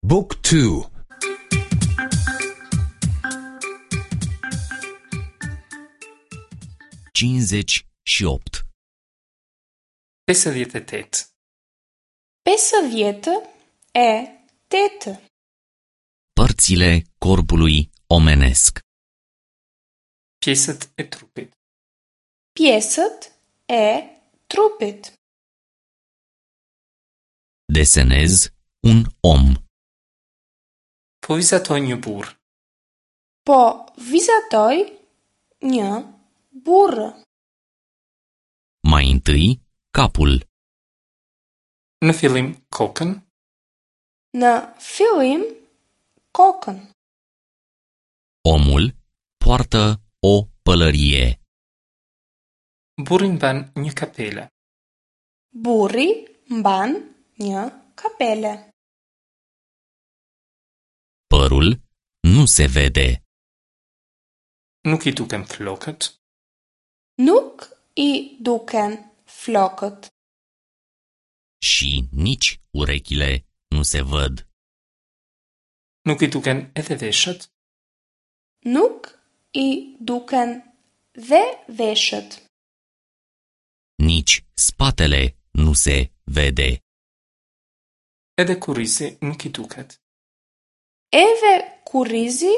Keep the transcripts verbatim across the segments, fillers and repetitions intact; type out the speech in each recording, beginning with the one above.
Book two. Cincizeci și opt. Pesëdhjetë e tetë. Pesëdhjetë e tetë. Părțile corpului omenesc. Pjesët e trupit. Pjesët e trupit. Desenez un om. Po vizatoj një burr. Po vizatoj një burr. Mai întâi capul. Në fillim kokën. Në fillim kokën. Omul poartă o pălărie. Burri mban një kapele. Burri mban një kapele. Părul nu se vede. Nuk i duken flokët. Nuk i duken flokët. Și nici urechile nu se văd. Nuk i duken edhe veshët. Nuk i duken dhe veshët. Nici spatele nu se vede. Edhe kurrizi nuk i duket. Edhe kurrizi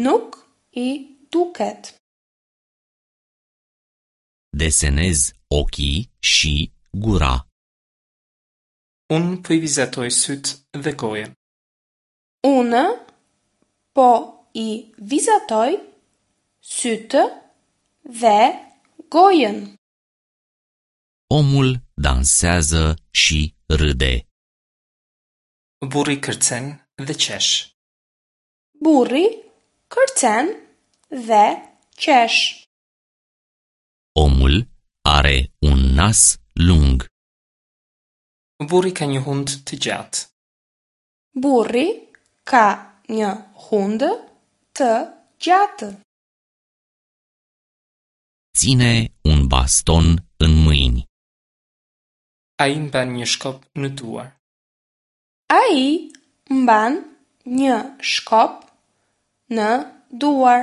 nuk i duket. Desenez ochii și gura. Unë po i vizatoj sytë dhe gojën. Unë po i vizatoj sytë dhe gojën. Omul dansează și râde. Burri kërcen dhe qesh. Burri kërcen dhe qesh. Omul are un nas lung. Burri ka një hundë të gjatë. Burri ka një hundë të gjatë. Ține un baston în mâini. Ai mban një shkop në duar. Ai mban një shkop në duar.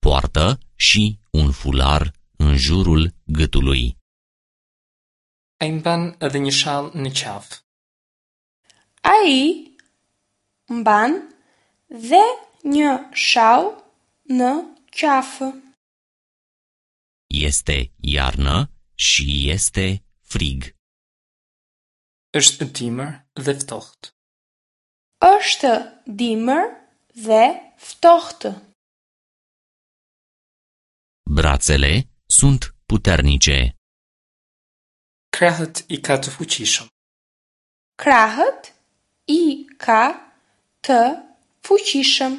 Poartă și un fular în jurul gâtului. Ai mban edhe një shall në qafë. Ai mban dhe një shall në qafë. Este iarnă și este frig. Është dimër dhe ftohtë. Është dimër dhe ftohtë. Brațele sunt puternice. Krahët i ka të fuqishëm. Krahët i ka të fuqishëm.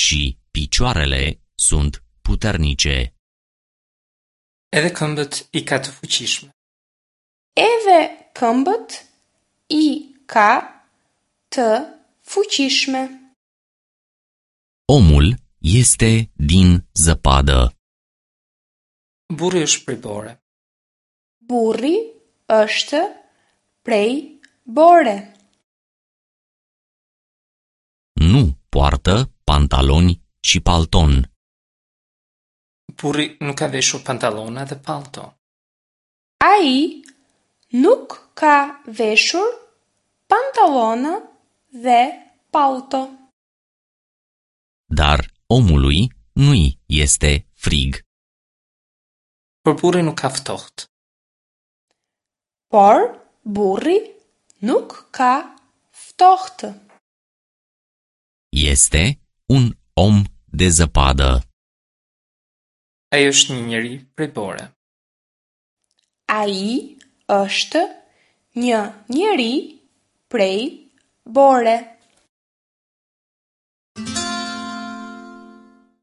Și picioarele sunt puternice. Edhe këmbët i ka të fuqishme. Edhe këmbët i ka të fuqishme. Omul este din zăpadă. Burri është prej bore. Burri është prej bore. Nu poartă pantaloni și palton. Burri nuk ka veshur pantallona dhe pallto. Ai nuk ka veshur pantallona dhe pallto. Dar omului nu-i este frig. Por burri nuk ka ftohtë. Por burri nuk ka ftohtë. Este un om de zăpadă. Ai është një njeri prej bore. Ai është një njeri prej bore.